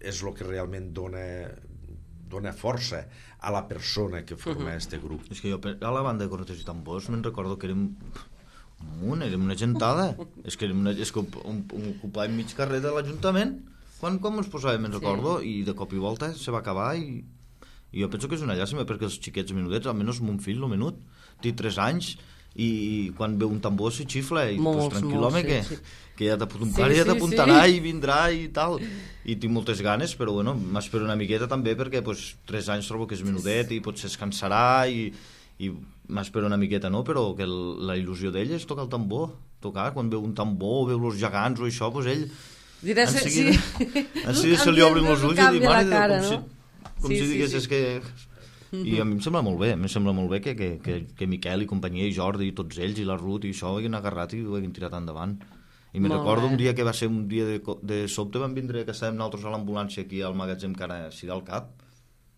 és el que realment dona força a la persona que forma este grup. És que jo, a la banda de cornetes i tambors, me'n recordo que érem una gentada. És que ocupàvem mig carrer de l'Ajuntament quan ens posàvem, me'n recordo, i de cop i volta se va acabar i jo penso que és una llàstima perquè els xiquets menudets, almenys mon fill, el menut, té 3 anys i quan veu un tambor se xifla i pues, tranquil, home, que ja t'apuntarà i vindrà i tal, i tinc moltes ganes, però bueno, m'espero una miqueta també perquè pues, 3 anys trobo que és menudet i potser es cansarà i m'espero una miqueta, no? Però que la il·lusió d'ell és tocar el tambor, tocar, quan veu un tambor, veu els gegants o això, doncs ell en seguida se li obrin els ulls i diu, mare, com si digués, és que... I a mi em sembla molt bé que Miquel i companyia i Jordi i tots ells i la Ruth i això ho hagin agarrat i ho hagin tirat endavant. I me'n recordo un dia que va ser un dia de sobte, van vindre, que estàvem nosaltres a l'ambulància aquí al magatzem que ara s'hi al cap,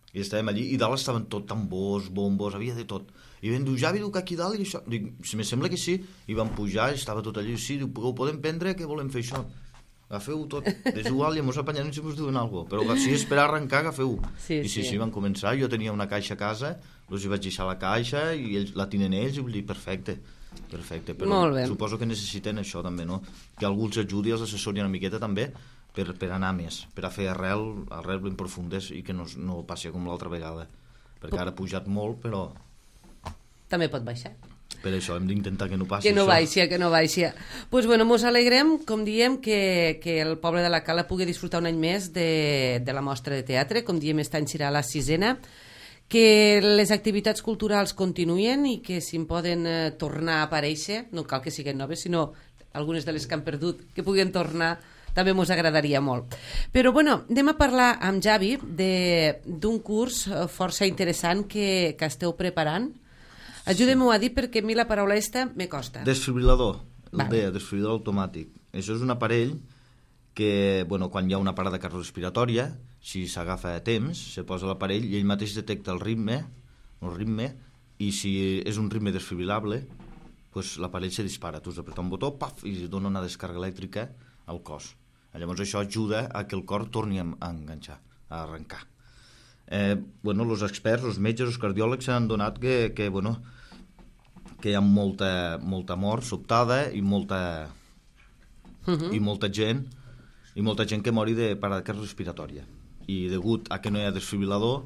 i estàvem allí i dalt estaven tot tambors, bombos, havia de tot. I vam dir, Javi, duc aquí dalt i això. Dic, si me sembla que sí. I vam pujar i estava tot allí, sí, diu, ho podem prendre, que volem fer això. Agafeu-ho tot, és igual, i mos apanyarem si mos diuen alguna cosa, però si és per arrencar, agafeu-ho. Sí, van començar, jo tenia una caixa a casa, els hi vaig deixar la caixa i ells la tenen ells, i vull dir, perfecte, però suposo que necessiten això també, no? Que algú els ajudi, els assessori una miqueta també, per anar més, per a fer arrels ben profundes i que no passi com l'altra vegada, perquè ara ha pujat molt, però... També pot baixar. Per això hem d'intentar que no passi que no baixi. Pues bueno, mos alegrem, com diem, que el poble de la Cala pugui disfrutar un any més de la mostra de teatre, com diem, aquest any serà la 6ena, que les activitats culturals continuïn i que si en poden tornar a aparèixer, no cal que siguin noves, sinó algunes de les que han perdut, que puguin tornar, també mos agradaria molt. Però bueno, anem a parlar amb Javi d'un curs força interessant que esteu preparant. Ajudem-ho a dir perquè a mi la paraula esta me costa. Desfibrilador, desfibrilador automàtic. Això és un aparell que, bueno, quan hi ha una parada cardiorrespiratòria, si s'agafa a temps, se posa l'aparell i ell mateix detecta el ritme, i si és un ritme desfibrilable, pues l'aparell se dispara. Tu has d'apretar un botó, paf, i dona una descàrrega elèctrica al cos. Llavors això ajuda a que el cor torni a enganxar, a arrencar. Els experts, els metges, els cardiòlegs s'han donat que hi ha molta mort sobtada i molta gent que mori de parada cardiorrespiratòria, i degut a que no hi ha desfibrilador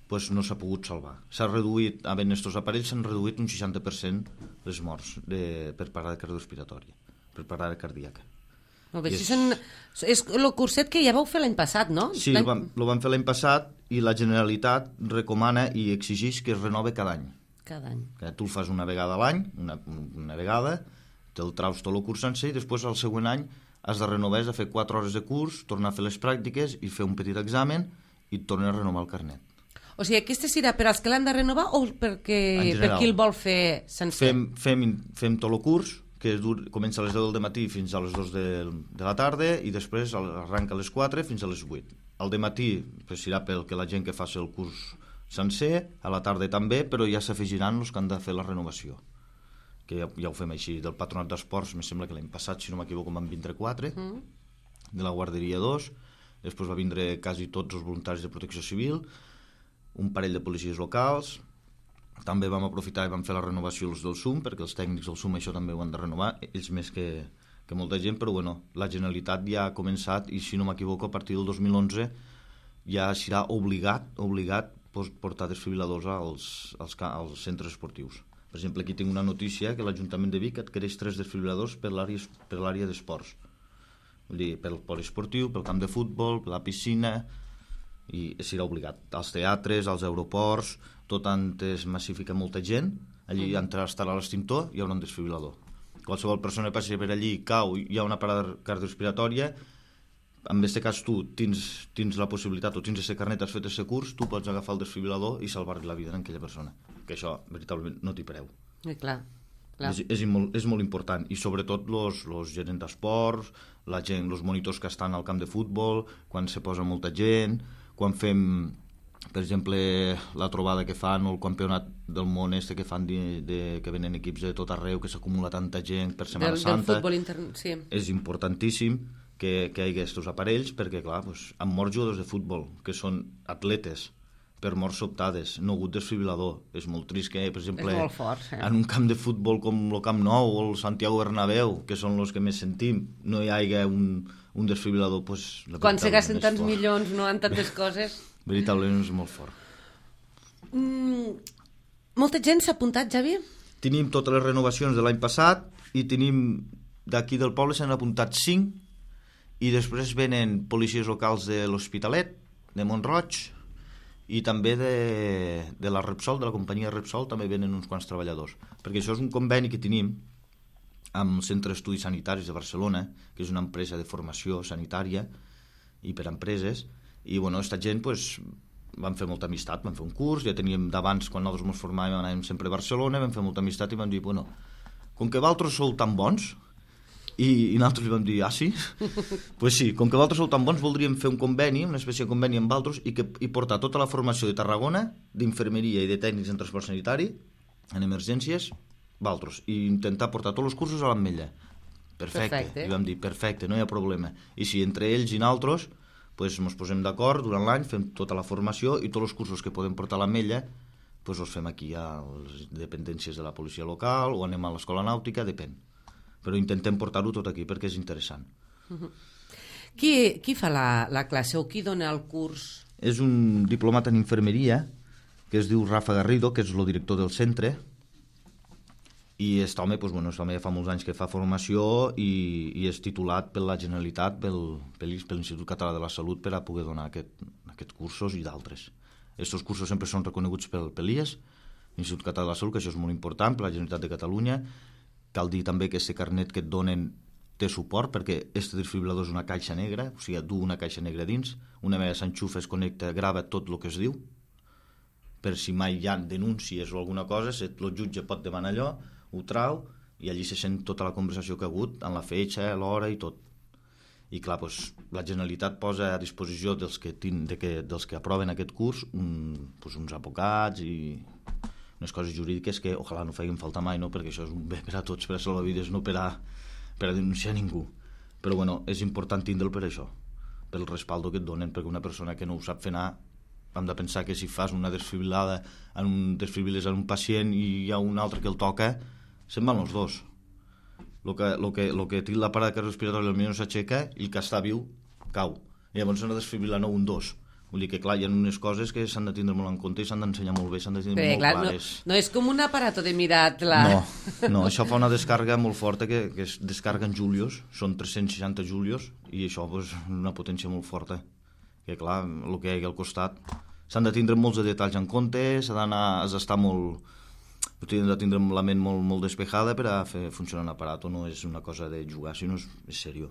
pues no s'ha pogut salvar. S'ha reduït, havent estos aparells s'han reduït un 60% les morts per parada cardiorrespiratòria, per parada cardíaca. És el curset que ja vau fer l'any passat, no? Sí, el vam fer l'any passat i la Generalitat recomana i exigeix que es renove cada any. Cada any. Que tu el fas una vegada a l'any, una vegada, te'l traus tot el curs sencer i després el següent any has de renovar, has de fer 4 hores de curs, tornar a fer les pràctiques i fer un petit examen i et tornen a renovar el carnet. O sigui, aquesta serà per als que l'han de renovar o per qui el vol fer sencer? Fem tot el curs, que comença a les 10 del matí fins a les 2 de la tarda i després arranca a les 4 fins a les 8. Al dematí serà pel que la gent que faci el curs sencer, a la tarda també, però ja s'afegiran els que han de fer la renovació, que ja ho fem així. Del Patronat d'Esports, me sembla que l'any passat, si no m'equivoco, van vindre 4, de la guarderia 2, després va vindre quasi tots els voluntaris de protecció civil, un parell de policies locals. També vam aprofitar i vam fer la renovació els del SUM, perquè els tècnics del SUM això també ho han de renovar, ells més que molta gent, però bueno, la Generalitat ja ha començat i si no m'equivoco a partir del 2011 ja serà obligat portar desfibriladors als centres esportius. Per exemple, aquí tinc una notícia que l'Ajuntament de Vic adquireix 3 desfibriladors per l'àrea d'esports. Vull dir, pel poliesportiu, pel camp de futbol, per la piscina, i serà obligat. Als teatres, als aeroports, tot on es massifica molta gent, allí estarà l'extintor, hi haurà un desfibrilador. Qualsevol persona que passi per allí, cau, hi ha una parada cardiorrespiratòria, en aquest cas tu tens la possibilitat, o tens aquest carnet, has fet aquest curs, tu pots agafar el desfibrilador i salvar-li la vida a aquella persona, que això veritablement no t'hi preu. Clar. És molt important, i sobretot els gerents d'esports, la gent, els monitors que estan al camp de futbol, quan se posa molta gent, quan fem, per exemple, la trobada que fan o el campionat del món que fan que venen equips de tot arreu, que s'acumula tanta gent per Setmana Santa, sí. És importantíssim que hi hagi aquests aparells, perquè clar, han mort jugadors de futbol que són atletes per morts sobtades, no ha hagut desfibrilador. És molt trist que, per exemple, en un camp de futbol com el Camp Nou o el Santiago Bernabéu, que són els que més sentim, no hi hagi un desfibrilador. Quan se gasten tants milions, no en tantes coses. Veritablement és molt fort. Molta gent s'ha apuntat, Javi? Tenim totes les renovacions de l'any passat i tenim d'aquí del poble s'han apuntat 5 i després venen policies locals de l'Hospitalet, de Mont-roig, i també de la Repsol, de la companyia Repsol, també venen uns quants treballadors, perquè això és un conveni que tenim amb el Centre d'Estudis Sanitaris de Barcelona, que és una empresa de formació sanitària i per a empreses, i bueno, aquesta gent vam fer molta amistat, vam fer un curs, ja teníem d'abans, quan nosaltres ens formàvem, anàvem sempre a Barcelona, vam fer molta amistat i vam dir, bueno, com que vosaltres sou tan bons, i nosaltres li vam dir, sí? Pues sí, com que vosaltres sou tan bons, voldríem fer un conveni, una espècie de conveni amb vosaltres i portar tota la formació de Tarragona, d'infermeria i de tècnics en transport sanitari, en emergències, vosaltres, i intentar portar tots els cursos a l'Ametlla. Perfecte. I vam dir, perfecte, no hi ha problema. I si entre ells i nosaltres ens posem d'acord durant l'any, fem tota la formació i tots els cursos que podem portar a l'Ametlla els fem aquí a les dependències de la policia local o anem a l'escola nàutica, depèn. Però intentem portar-ho tot aquí perquè és interessant. Qui fa la classe o qui dona el curs? És un diplomat en infermeria que es diu Rafa Garrido, que és el director del centre, i aquest home, ja fa molts anys que fa formació i és titulat per la Generalitat, per l'Institut Català de la Salut, per a poder donar aquests cursos i d'altres. Aquests cursos sempre són reconeguts pel l'IES, l'Institut Català de la Salut, que això és molt important, per la Generalitat de Catalunya. Cal dir també que aquest carnet que et donen té suport, perquè aquest desfibrilador és una caixa negra, o sigui, du una caixa negra dins, una vegada s'enxufa, es connecta, grava tot el que es diu, per si mai hi ha denúncies o alguna cosa, el jutge pot demanar allò, ho trau, i allí se sent tota la conversació que ha hagut, en la fetge, l'hora i tot. I clar, la Generalitat posa a disposició dels que aproven aquest curs uns advocats i unes coses jurídiques que ojalà no feien falta mai, no? Perquè això és un bé per a tots, per a salvar vides, no per a denunciar ningú. Però bueno, és important tindre'l per això, pel respaldo que et donen, perquè una persona que no ho sap fer anar, hem de pensar que si fas una desfibrilada desfibriles en un pacient i hi ha un altre que el toca, se'n van els dos. El que té la parada cardiorrespiratòria potser no s'aixeca i el que està viu cau. I llavors s'han de desfibrilar no un, dos. Vull dir que clar, hi ha unes coses que s'han de tindre molt en compte i s'han d'ensenyar molt bé, s'han de tindre molt clares. No és com un aparato de mirat. No, això fa una descàrrega molt forta que es descarga en julios, són 360 julios i això és una potència molt forta. Que clar, el que hi ha al costat s'han de tindre molts detalls en compte, has d'estar molt... Hem de tindre la ment molt despejada per a fer funcionar un aparato, no és una cosa de jugar, sinó és seriós.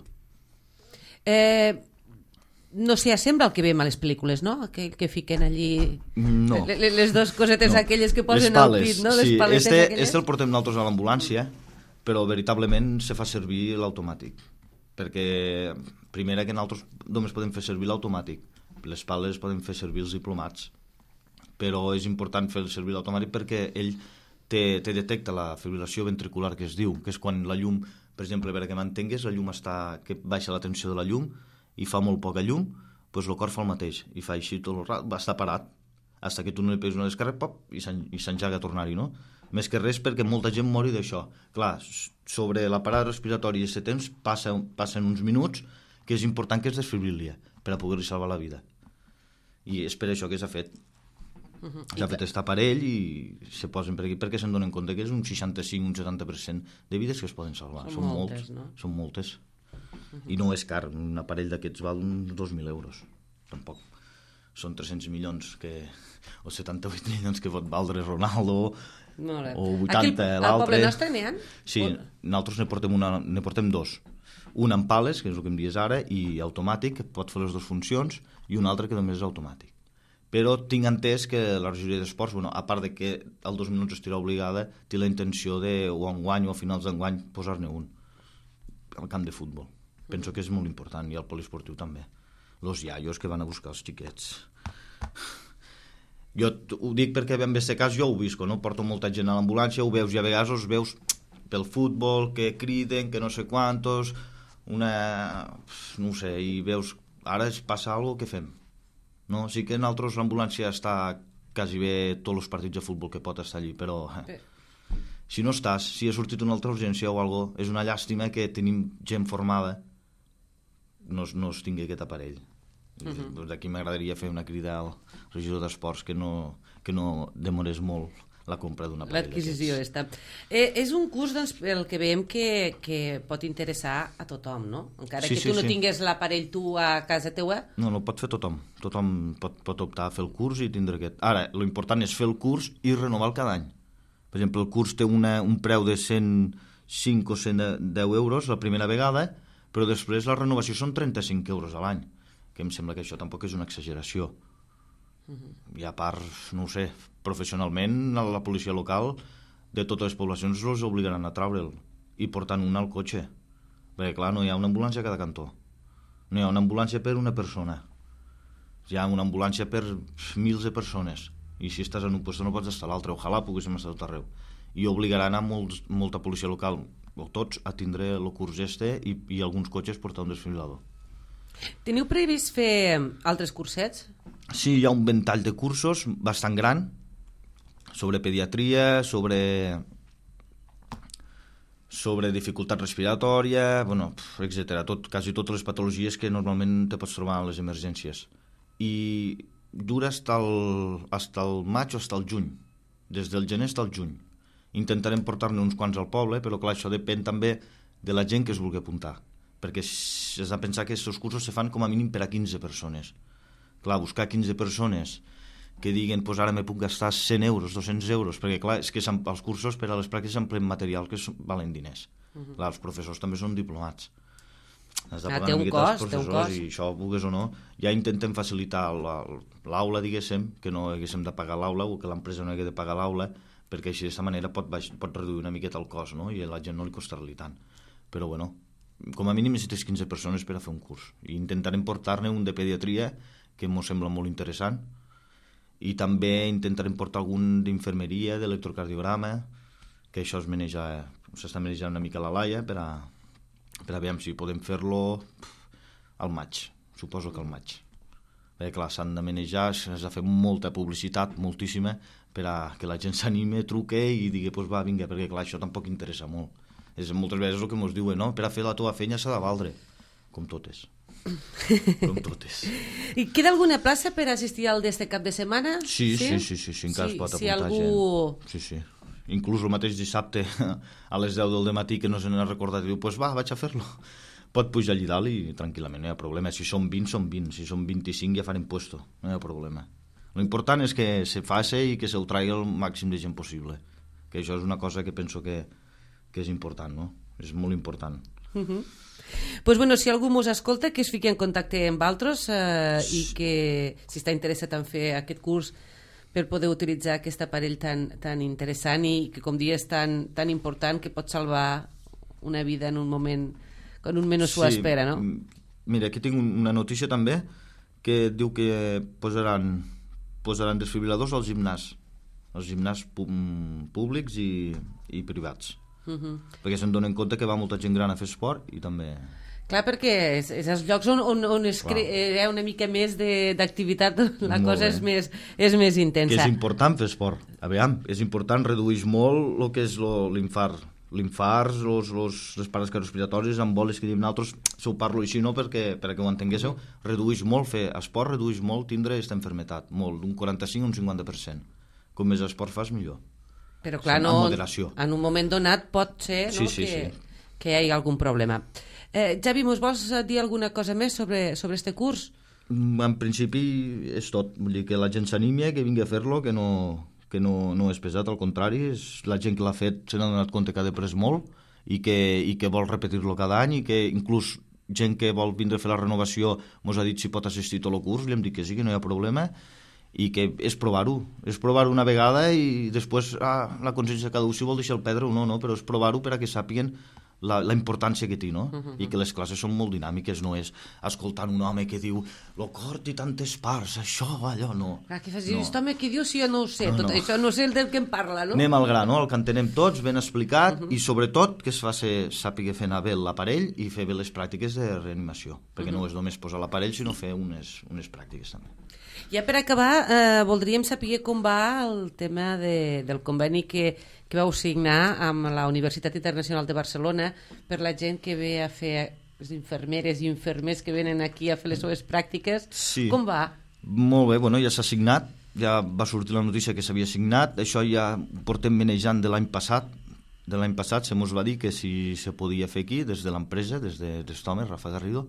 no s'hi assembla el que veiem a les pel·lícules, no? Que fiquen allí No. les dues cosetes aquelles que posen les al pales, pit, no? Les sí, paletes aquelles. este el portem nosaltres a l'ambulància, però veritablement se fa servir l'automàtic, perquè primera que nosaltres només podem fer servir l'automàtic, les pales podem fer servir els diplomats, però és important fer servir l'automàtic perquè ell te detecta la fibrilació ventricular, que es diu, que és quan la llum, per exemple, per que m'entengues, la llum està, que baixa la tensió de la llum i fa molt poca llum, doncs el cor fa el mateix, i fa així tot el rato, va estar parat, fins que tu no li pegues una descàrrega, pop, i s'enjaga a tornar-hi, no? Més que res perquè molta gent mori d'això. Clar, sobre l'aparat respiratori i aquest temps passen uns minuts que és important que es desfibrili per a poder-li salvar la vida. I és per això que s'ha fet. S'ha fet aquest aparell i se posen per aquí perquè se'n donen compte que és un 65, un 70% de vides que es poden salvar. Són moltes, no? Són moltes. I no és car, un aparell d'aquests val uns 2.000 euros, tampoc. Són 300 milions o 78 milions que pot valdre Ronaldo, o 80 l'altre. Al poble nostre n'hi ha? Sí, nosaltres ne portem dos. Un amb pales, que és el que em dius ara, i automàtic, que pot fer les dues funcions, i un altre que només és automàtic. Però tinc entès que la regidoria d'esports, a part de que el 2 minuts estirà obligada, té la intenció de, o enguany o a finals d'enguany, posar-ne un al camp de futbol. Penso que és molt important, i al poliesportiu també. Los iaios que van a buscar els xiquets. Jo ho dic perquè en aquest cas jo ho visco, no? Porto molta gent a l'ambulància, ho veus, i a vegades els veus pel futbol, que criden, que no sé quantos, no sé, i veus, ara passa alguna cosa, què fem? No? Sí que en altres l'ambulància està quasi bé tots els partits de futbol que pot estar allí, però si no estàs, si ha sortit una altra urgència o alguna cosa, és una llàstima que tenim gent formada no es tingui aquest aparell. Doncs aquí m'agradaria fer una crida al regidor d'esports que no demorés molt la compra d'un aparell. L'adquisició està. És un curs, doncs, el que veiem que pot interessar a tothom, no? Encara que tu no tingués l'aparell tu a casa teua. No, pot fer tothom. Tothom pot optar a fer el curs i tindre aquest. Ara, l'important és fer el curs i renovar cada any. Per exemple, el curs té un preu de 105 o 110 euros la primera vegada, però després la renovació són 35 euros a l'any, que em sembla que això tampoc és una exageració. I a part, no ho sé, professionalment la policia local de totes les poblacions els obligaran a traure'l i portant un al cotxe, perquè clar, no hi ha una ambulància a cada cantó, no hi ha una ambulància per una persona, hi ha una ambulància per mils de persones, i si estàs en un lloc no pots estar a l'altre. Ojalà poguéssim estar tot arreu, i obligaran a molta policia local o tots a tindre el curs i alguns cotxes portar un desfibrilador. Teniu previst fer altres cursets? Sí, hi ha un ventall de cursos bastant gran sobre pediatria, sobre dificultat respiratòria, etc. Quasi totes les patologies que normalment te pots trobar a les emergències. I dura hasta el maig o hasta el juny, des del gener hasta el juny. Intentarem portar-ne uns quants al poble, però clar, això depèn també de la gent que es vulgui apuntar, perquè has de pensar que aquests cursos se fan com a mínim per a 15 persones. Clar, buscar 15 persones que diguen, pues ara me puc gastar 100 euros, 200 euros, perquè clar, és que els cursos per a les pràctiques s'emplen material que valen diners. Clar, els professors també són diplomats. Has de pagar una miqueta als professors i això, vulguis o no, ja intentem facilitar l'aula, diguéssim, que no haguéssim de pagar l'aula o que l'empresa no hagués de pagar l'aula, perquè així d'aquesta manera pot reduir una miqueta el cost, no? I a la gent no li costarà-li tant. Però bueno, com a mínim necessites 15 persones per a fer un curs. I intentarem portar-ne un de pediatria, que m'ho sembla molt interessant, i també intentarem portar algun d'infermeria, d'electrocardiograma, que això s'està manejant una mica a la Laia per a veure si podem fer-lo al maig, suposo que al maig. Perquè clar, s'han de manejar, s'ha de fer molta publicitat, moltíssima, per a que la gent s'anime, truque i digui, doncs va, vinga, perquè clar, això tampoc interessa molt. És moltes vegades el que ens diuen, no? Per a fer la teva feina s'ha de valdre, com totes. Com totes. I queda alguna plaça per assistir al d'este cap de setmana? Sí, encara es pot apuntar gent. Sí. Inclús el mateix dissabte a les 10 del matí que no se n'ha recordat i diu, doncs va, vaig a fer-lo. Pot pujar allà dalt i tranquil·lament, no hi ha problema. Si són 20, són 20. Si són 25 ja farem puesto, no hi ha problema. L'important és que se faci i que se'l traigui el màxim de gent possible. Que això és una cosa que penso que és important, no? És molt important. Pues bueno, si algú mos escolta, que es fiqui en contacte amb altres i que si està interessat en fer aquest curs per poder utilitzar aquest aparell tan interessant i que, com dius, tan important, que pot salvar una vida en un moment quan un menys ho espera, no? Mira, aquí tinc una notícia també que diu que posaran desfibriladors als gimnàs públics i privats. Perquè se'n donen compte que va molta gent gran a fer esport i també... Clar, perquè és els llocs on es crea una mica més d'activitat, la cosa és més intensa. Que és important fer esport. Aviam, és important, redueix molt el que és l'infart. L'infart, les parades respiratoris, embolis que diem nosaltres, se ho parlo així no perquè ho entenguéssiu, redueix molt fer esport, redueix molt tindre aquesta enfermetat, molt, d'un 45 a un 50%. Com més esport fas, millor. Però clar, no, en un moment donat pot ser que hi hagi algun problema. Javi, mos vols dir alguna cosa més sobre este curs? En principi és tot, vull dir que la gent s'animi, que vingui a fer-lo, que no és pesat, al contrari, és la gent que l'ha fet se n'ha donat compte que ha després molt i que vol repetir-lo cada any i que inclús gent que vol vindre a fer la renovació mos ha dit si pot assistir tot el curs, li hem dit que sí, que no hi ha problema i que és provar-ho una vegada i després la consciència cada un si vol deixar el perdre o no, però és provar-ho per a que sàpiguen la importància que té, no? I que les classes són molt dinàmiques, no és escoltant un home que diu lo cor té tantes parts, això, allò, no. Clar, que fas dir, aquest home que diu si jo no ho sé, tot això no sé el del que em parla, no? Anem al gra, no? El que entenem tots, ben explicat, i sobretot que es sàpiga fer anar bé l'aparell i fer bé les pràctiques de reanimació, perquè no és només posar l'aparell, sinó fer unes pràctiques també. Ja per acabar, voldríem saber com va el tema del conveni que vau signar amb la Universitat Internacional de Barcelona per la gent que ve a fer, les infermeres i infermers que venen aquí a fer les seves pràctiques. Sí. Com va? Molt bé, bueno, ja s'ha signat, ja va sortir la notícia que s'havia signat, això ja ho portem manejant de l'any passat. De l'any passat se mos va dir que si se podia fer aquí, des de l'empresa, des d'aquest home, Rafa Garrido,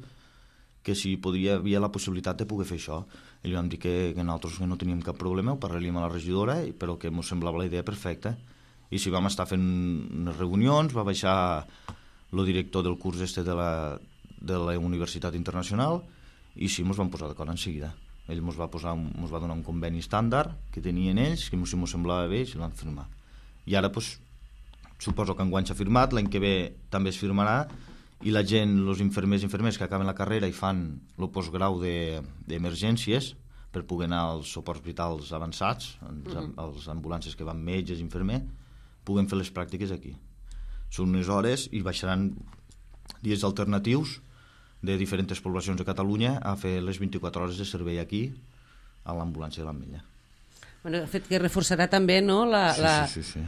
que si havia la possibilitat de poder fer això. I li vam dir que nosaltres no teníem cap problema, ho parlaríem a la regidora, però que ens semblava la idea perfecta. I si vam estar fent unes reunions, va baixar el director del curs de la Universitat Internacional i sí, ens vam posar d'acord en seguida. Ell ens va donar un conveni estàndard que tenien ells, que ens semblava bé i se l'han firmat. I ara, suposo que enguany s'ha firmat, l'any que ve també es firmarà, i la gent, els infermers i infermers que acaben la carrera i fan el postgrau d'emergències per poder anar als suports vitals avançats, als ambulàncies que van metges, infermer, puguen fer les pràctiques aquí. Són unes hores i baixaran dies alternatius de diferents poblacions de Catalunya a fer les 24 hores de servei aquí a l'ambulància de l'Ametlla. Bueno, el fet que reforçarà també, no?, Sí.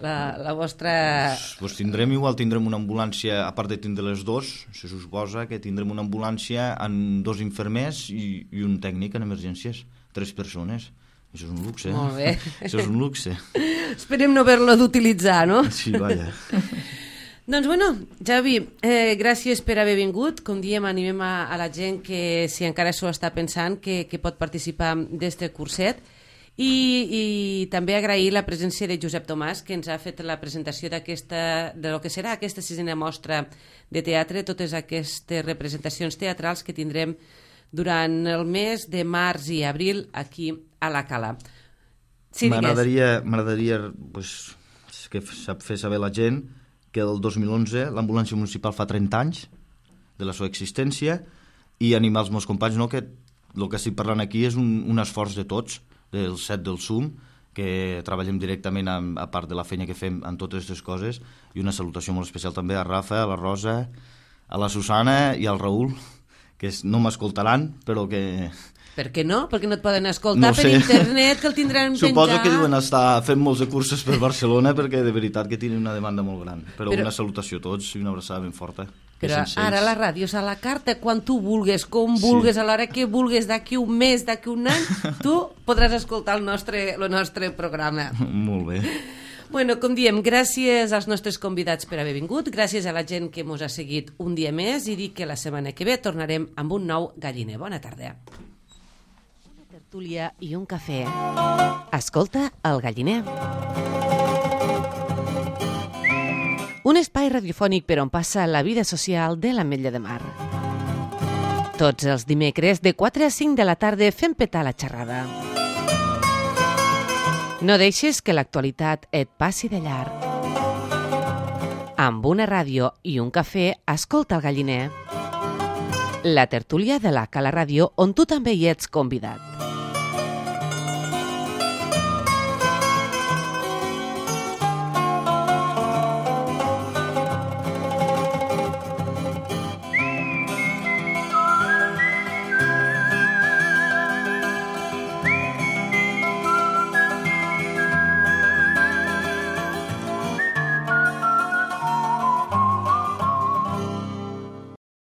La vostra... Pues tindrem una ambulància, a part de tindre les dos, se suposa que tindrem una ambulància amb 2 infermers i un tècnic en emergències, 3 persones. Això és un luxe. Molt bé. Això és un luxe. Esperem no haver-lo d'utilitzar, no? Sí, vaja. Doncs bueno, Javi, gràcies per haver vingut. Com diem, animem a la gent que, si encara s'ho està pensant, que pot participar d'este curset. I també agrair la presència de Josep Tomàs, que ens ha fet la presentació de lo que serà aquesta 6a mostra de teatre, totes aquestes representacions teatrals que tindrem durant el mes de març i abril aquí a la Cala. Sí, m'agradaria fer saber la gent que el 2011 l'ambulància municipal fa 30 anys de la seva existència i animar els meus companys, no, que el que estic parlant aquí és un esforç de tots, del set del SUM, que treballem directament a part de la feina que fem en totes aquestes coses, i una salutació molt especial també a Rafa, a la Rosa, a la Susana i al Raül, que no m'escoltaran, però que... Per què no? Perquè no et poden escoltar per internet, que el tindran penjat. Suposo que diuen estar fent molts de cursos per Barcelona, perquè de veritat que tenen una demanda molt gran. Però una salutació a tots i una abraçada ben forta. Però ara la ràdio és a la carta, quan tu vulgues, com vulgues, a l'hora que vulgues, d'aquí un mes, d'aquí un any, tu podràs escoltar el nostre programa. Molt bé. Bueno, com diem, gràcies als nostres convidats per haver vingut, gràcies a la gent que mos ha seguit un dia més i dic que la setmana que ve tornarem amb un nou Galliner. Bona tarda. Una tertúlia i un cafè. Escolta el Galliner. un espai radiofònic per on passa la vida social de l'Ametlla de Mar. Tots els dimecres de 4 a 5 de la tarda fem petar la xerrada. No deixes que l'actualitat et passi de llarg. Amb una ràdio i un cafè, escolta el Galliner. La tertúlia de la Cala Ràdio, on tu també hi ets convidat.